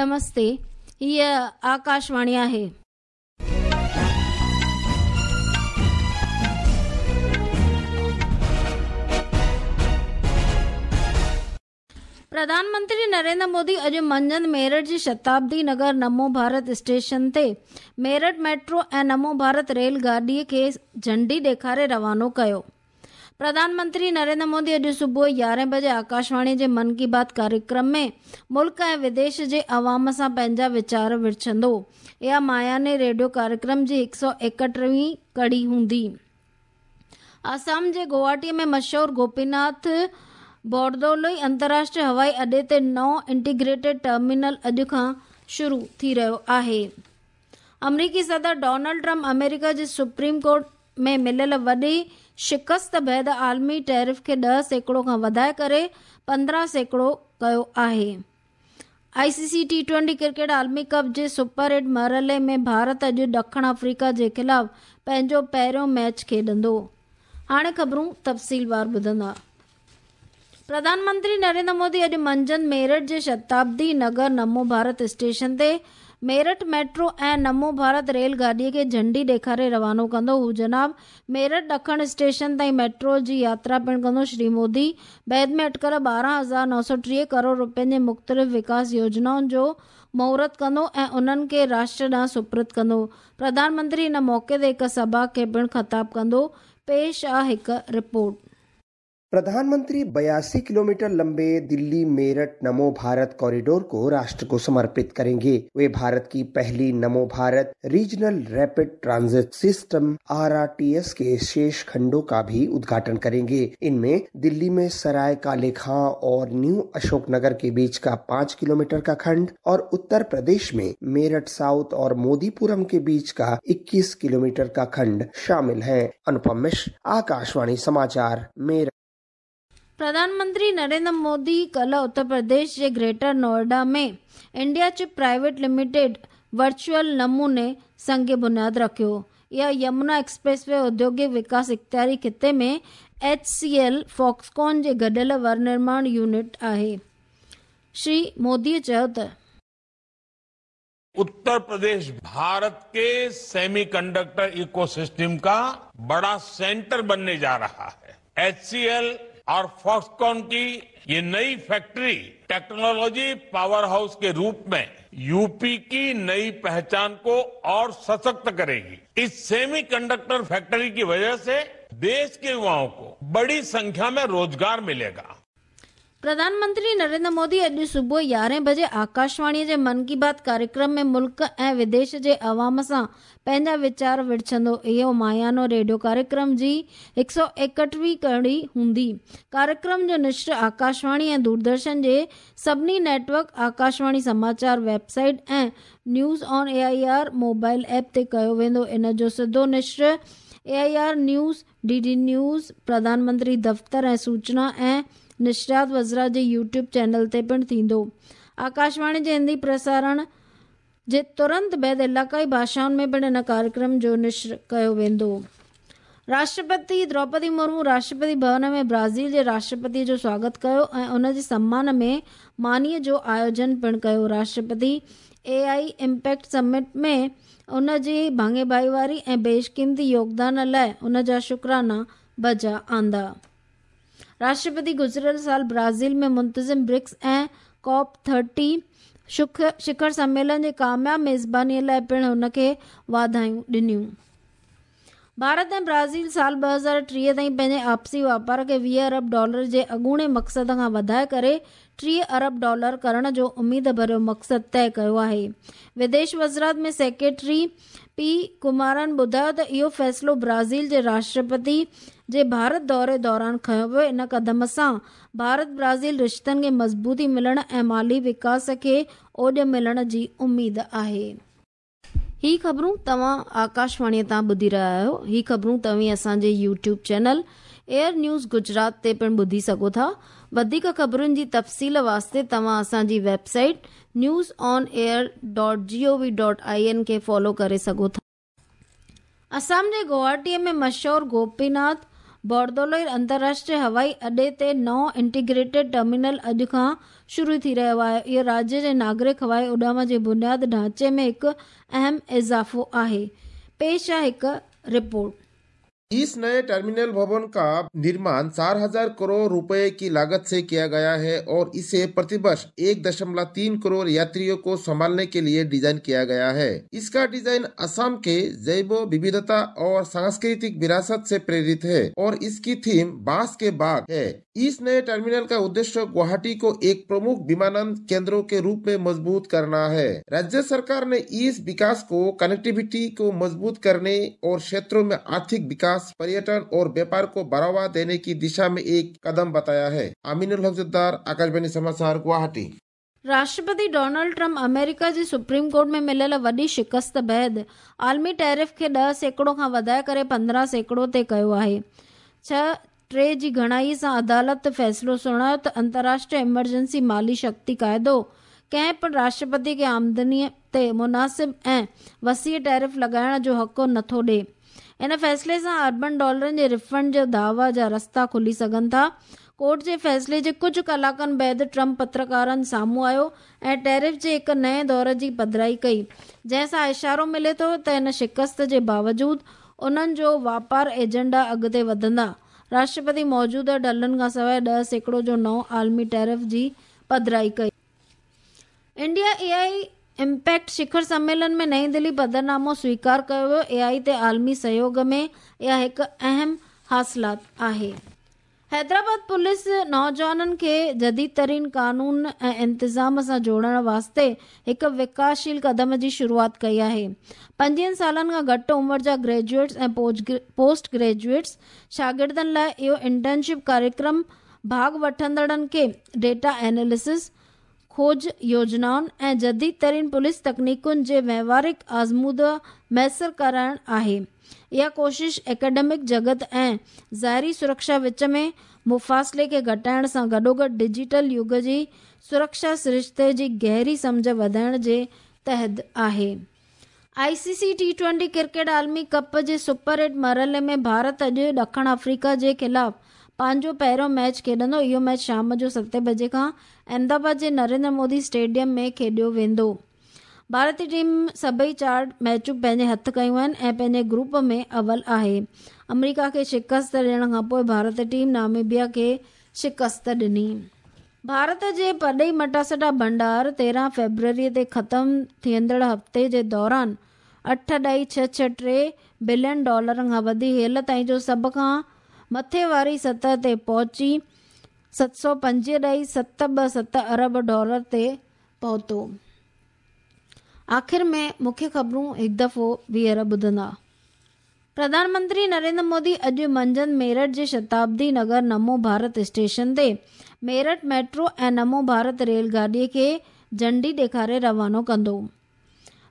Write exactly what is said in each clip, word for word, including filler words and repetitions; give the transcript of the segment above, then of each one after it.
नमस्ते, हीअ आकाशवाणी आहे। प्रधानमंत्री नरेंद्र मोदी अॼु मंझंदि मेरठ जी शताब्दी नगर नमो भारत स्टेशन ते मेरठ मेट्रो ऐं नमो भारत रेल गाॾीअ खे झंडी ॾेखारे रवानो कयो। प्रधानमंत्री नरेंद्र मोदी अॼु सुबुह यारहें बजे आकाशवाणी जे मन की बात कार्यक्रम में मुल्क ऐं विदेश जे अवाम सां पंहिंजा वीचार विरछंदो। इहा मायाने रेडियो कार्यक्रम जी हिकु सौ एकटीह कड़ी हूंदी। आसाम जे गुवाहाटी में मशहूर गोपीनाथ बोरदोलोई अंतर्राष्ट्रीय हवाई अॾे ते नओं इंटीग्रेटेड टर्मिनल अॼु खां शुरू थी रहियो आहे। अमरीकी सदर डोनाल्ड ट्रंप अमेरिका जे सुप्रीम कोर्ट में मिलियल वॾी शिकस्त बाद आलमी टैरिफ खे ॾह सैकड़ो खां वधाए करे पंद्रहं सैकड़ो कयो आहे। आईसीसी टी ट्वेंटी क्रिकेट आलमी कप जे सुपर एट मरहले में भारत अॼु ॾखण अफ्रीका जे ख़िलाफ़ पंहिंजो पहिरियों मैच खेॾंदो। हाणे ख़बरूं तफ़सीलवार ॿुधंदा। प्रधानमंत्री नरेंद्र मोदी अॼु मंझंदि मेरठ जे शताब्दी नगर नमो भारत स्टेशन ते मेरठ मेट्रो ऐं नमो भारत रेल गाॾीअ खे झंडी ॾेखारे रवानो कंदो। हू जनाब मेरठ ॾखण स्टेशन ताईं मेट्रो जी यात्रा पिणु कंदो। श्री मोदी बाद में अटकल ॿारहं हज़ार नौ सौ टीह करोड़ रुपयनि जे मुख़्तलिफ़ विकास योजनाउनि जो मुहूर्त कंदो ऐं उन्हनि खे राष्ट्र ॾांहुं सुपुर्द कंदो। प्रधानमंत्री इन मौक़े ते हिकु सभा खे पिणु ख़िताब कंदो। पेश आहे हिकु रिपोर्ट। प्रधानमंत्री बयासी किलोमीटर लंबे दिल्ली मेरठ नमो भारत कॉरिडोर को राष्ट्र को समर्पित करेंगे। वे भारत की पहली Namo Bharat regional rapid transit system R R T S के शेष खंडों का भी उद्घाटन करेंगे। इनमें दिल्ली में सराय काले खां और न्यू अशोकनगर के बीच का पाँच किलोमीटर का खंड और उत्तर प्रदेश में मेरठ साउथ और मोदीपुरम के बीच का इक्कीस किलोमीटर का खंड शामिल है। अनुपम मिश्र, आकाशवाणी समाचार, मेरठ। प्रधानमंत्री नरेंद्र मोदी कल उत्तर प्रदेश जे Greater Noida में India chip private limited virtual नमूने संग बुनियाद रखियो। इहा यमुना एक्सप्रेसवे औद्योगिक विकास इख्तियारी खिते में एच सी एल फॉक्सकॉन जे गॾियल विनिर्माण यूनिट आहे। श्री मोदी चयो त उत्तर प्रदेश भारत के सेमीकंडक्टर इकोसिस्टम का बड़ा सेंटर बनने जा रहा है। एच सी एल और फॉक्सकॉन की ये नई फैक्ट्री टेक्नोलॉजी पावर हाउस के रूप में यूपी की नई पहचान को और सशक्त करेगी। इस सेमीकंडक्टर फैक्ट्री की वजह से देश के युवाओं को बड़ी संख्या में रोजगार मिलेगा। प्रधानमंत्री नरेंद्र मोदी अॼु सुबुह यारहें बजे आकाशवाणी जे मन की बात कार्यक्रम में मुल्क ऐं विदेश जे अवाम सां पंहिंजा वीचार विरछंदो। इहो मायानो रेडियो कार्यक्रम जी हिकु सौ एकटीह कड़ी हूंदी। कार्यक्रम जो निश्र आकाशवाणी ऐं दूरदर्शन जे सभिनी नेटवर्क, आकाशवाणी समाचार वेबसाइट ऐं news on A I R mobile app ते कयो वेंदो। इन जो सिधो निश्र A I R news, D D news, प्रधानमंत्री दफ़्तर ऐं सूचना ऐं निशरात वज़रा जे यूट्यूब चैनल ते पिणु थींदो। आकाशवाणी जे हिंदी प्रसारण जे तुरंत बाद इलाक़ाई भाषाउनि में पिणु इन कार्यक्रम जो निश्र कयो वेंदो। राष्ट्रपति द्रौपदी मुर्मू राष्ट्रपति भवन में ब्राज़ील जे राष्ट्रपति जो स्वागत कयो ऐं उन जे सम्मान में मानीअ जो आयोजन पिणु कयो। राष्ट्रपति ए I impact summit में उन जे भाङे भाईवारी ऐं बेशक़ीमती योगदान लाइ उन जा शुक्राना बजा आंदा। राष्ट्रपति गुज़िरियल साल ब्राज़ील में मुंतज़िम ब्रिक्स ऐं कॉप थर्टी शिखर सम्मेलन जे कामयाब मेज़बानीअ लाइ पिणु हुनखे वाधायूं ॾिनियूं। भारत ऐं ब्राज़ील साल ॿ हज़ार टीह ताईं पंहिंजे आपसी वापार खे वीह अरब डॉलर जे अॻूणे मक़सद खां वधाए करे टीह अरब डॉलर करण जो उमेद भरियो मक़सदु तय कयो आहे। विदेश वज़ारत में सेक्रेटरी पी कुमारन ॿुधायो त इहो फ़ैसिलो ब्राज़ील जे राष्ट्रपति जे भारत दौरे दौरान खयो वियो। इन कदम सां भारत ब्राज़ील रिश्तनि खे मज़बूती मिलण ऐं माली विकास खे ओॾ मिलण जी उमेद आहे। ही ख़बरूं तव्हां आकाशवाणीअ तां ॿुधी रहिया आहियो। ही ख़बरूं तव्हीं असांजे YouTube channel air news Gujarat ते पिणु ॿुधी सघो था। वधीक ख़बरुनि जी तफ़सील वास्ते तव्हां असांजी website news on air dot G O V dot I N खे फॉलो करे सघो था। असम जे गुवाहाटीअ में मशहूर गोपीनाथ बोरदोलोई अंतर्राष्ट्रीय हवाई अॾे ते नओं इंटीग्रेटेड टर्मिनल अॼु खां शुरू थी रहियो आहे। इहो राज्य जे नागरिक हवाई उॾाम जे बुनियाद ढांचे में हिकु अहम इज़ाफ़ो आहे। पेश आहे हिकु रिपोर्ट। इस नए टर्मिनल भवन का निर्माण चार हजार करोड़ रुपए की लागत से किया गया है और इसे प्रतिवर्ष एक दशमलव तीन करोड़ यात्रियों को संभालने के लिए डिजाइन किया गया है। इसका डिजाइन असम के जैव विविधता और सांस्कृतिक विरासत से प्रेरित है और इसकी थीम बांस के बाग है। इस नए टर्मिनल का उद्देश्य गुवाहाटी को एक प्रमुख विमानन केंद्रों के रूप में मजबूत करना है। राज्य सरकार ने इस विकास को कनेक्टिविटी को मजबूत करने और क्षेत्रों में आर्थिक विकास, पर्यटन और व्यापार को बढ़ावा देने की दिशा में एक कदम बताया है। अमीनुल हक, आकाशवाणी समाचार, गुवाहाटी। राष्ट्रपति डोनाल्ड ट्रंप अमेरिका जी सुप्रीम कोर्ट में मिलियल वॾी शिकस्त बाद आलमी टैरिफ खे ॾह सैकड़ो खां वधाए करे पंद्रहं सैकड़ो ते कयो आहे। छह टे जी घणाई सां अदालत फ़ैसिलो सुणायो त अंतर्राष्ट्रीय इमरजेंसी माली शक्ति काइदो कंहिं पिणु राष्ट्रपति खे आमदनीअ ते मुनासिब ऐं वसीअ टैरिफ लॻाइण जो हक़ नथो ॾिए। इन फ़ैसिले सां अरबनि डॉलरनि जे रिफंड जे दावा जा रस्ता खुली सघनि था। कोर्ट जे फ़ैसिले जे कुझु कलाकनि बाद ट्रंप पत्रकारनि साम्हूं आयो ऐं टैरिफ जे हिकु नएं दौर जी पधराई कई, जंहिं सां इशारो मिले थो त हिन शिकस्त जे बावजूद उन्हनि जो वापार एजेंडा अॻिते वधंदा। राष्ट्रपति मौजूदा ढलनि खां सवाइ ॾह सैकड़ो जो नओं आलमी टैरिफ जी पधराई कई। इंडिया ए आई इम्पैक्ट शिखर सम्मेलन में नई दिल्ली पधरनामो स्वीकार कयो वियो। ए आई ते आलमी सहयोग में इहा हिकु अहम हासिलात आहे। हैदराबाद पुलिस नौजवाननि खे जदीद तरीन कानून ऐं इंतिज़ाम सां जोड़ण वास्ते हिकु विकासशील कदम जी शुरूआत कई आहे। पंजवीहनि सालनि खां घटि उमिरि जा ग्रेजुएट्स ऐं पोस्ट ग्रेजुएट्स शागिर्दनि लाइ इहो इंटर्नशिप कार्यक्रम भाग वठंदड़नि खे डेटा एनालिसिस, खोज योजनाउनि ऐं जदीद तरीन पुलिस तकनीकुनि जे व्यवहारिक आज़मूदा मयसर कराइण आहे। इहा कोशिश एकेडमिक जगत ऐं ज़ाहिरी सुरक्षा विच में मुफ़ासिले खे घटाइण सां गॾोगॾु डिजिटल युग जी सुरक्षा सरिश्ते जी गहरी सम्झ वधाइण जे तहत आहे। I C C T twenty cricket आलमी कप जे सुपर एट मरहले में भारत अॼु ॾखण अफ्रीका जे ख़िलाफ़ पंहिंजो पहिरियों मैच खेॾंदो। इहो मैच शाम जो सतें बजे खां अहमदाबाद जे नरेंद्र मोदी स्टेडियम में खेॾियो वेंदो। भारतीय टीम सभई चारि मैचूं पंहिंजे हथ कयूं आहिनि ऐं पंहिंजे ग्रुप में अवल आहे। अमेरिका खे शिकस्त ॾियण खां पोइ भारतीय टीम नामीबिया खे शिकस्त ॾिनी। भारत जे परॾेही मटासटा भंडार तेरहं फ़ेब्रुअरी ते ख़तमु थींदड़ हफ़्ते जे दौरान अठ ॾाई छह छह टे बिलियन डॉलरनि खां वधी हेल ताईं जो सभ खां मथे वारी सतह ते पहुची सत सौ पंजवीह ॾाई सत ॿ सत अरब डॉलर ते पहुतो। आख़िर में मुख्य ख़बरूं हिकु दफ़ो ॿीहर ॿुधंदा। प्रधानमंत्री नरेंद्र मोदी अॼु मंझंदि मेरठ जे शताब्दी नगर नमो भारत स्टेशन ते मेरठ मेट्रो ऐं नमो भारत रेलगाॾीअ खे झंडी ॾेखारे रवानो कंदो।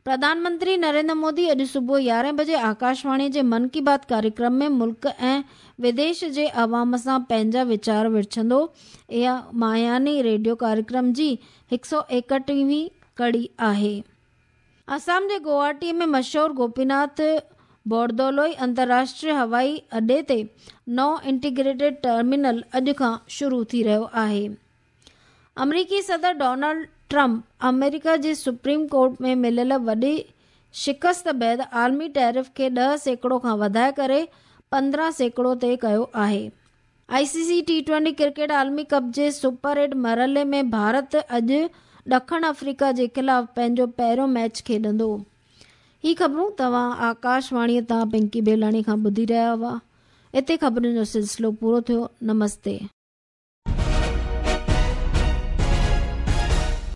प्रधानमंत्री नरेंद्र मोदी अॼु सुबुह यारहं बजे आकाशवाणी जे मन की बात कार्यक्रम में मुल्क ऐं विदेश जे अवाम सां पंहिंजा वीचार विरछंदो। इहा माहियानी रेडियो कार्यक्रम जी हिकु सौ एकटीहवीं कड़ी आहे। असम जे गुवाहाटी में मशहूर गोपीनाथ बोरदोलोई अंतर्राष्ट्रीय हवाई अॾे ते नओं इंटीग्रेटेड टर्मिनल अॼु खां शुरू थी रहियो आहे। अमरीकी सदर डोनाल्ड ट्रंप अमेरिका जे सुप्रीम कोर्ट में मिलियल वॾी शिकस्त बाद आलमी टैरिफ खे ॾह सैकड़ो खां वधाए करे पंद्रहं सैकड़ो ते कयो आहे। I C C T twenty cricket आलमी कप जे सुपर एट मरहले में भारत अॼु ॾखण अफ्रीका जे ख़िलाफ़ पंहिंजो पहिरियों मैच खेॾंदो। ही ख़बरूं तव्हां आकाशवाणीअ तां पिंकी बेलाणी खां ॿुधी रहिया हुआ। हिते ख़बरुनि जो सिलसिलो पूरो थियो। नमस्ते।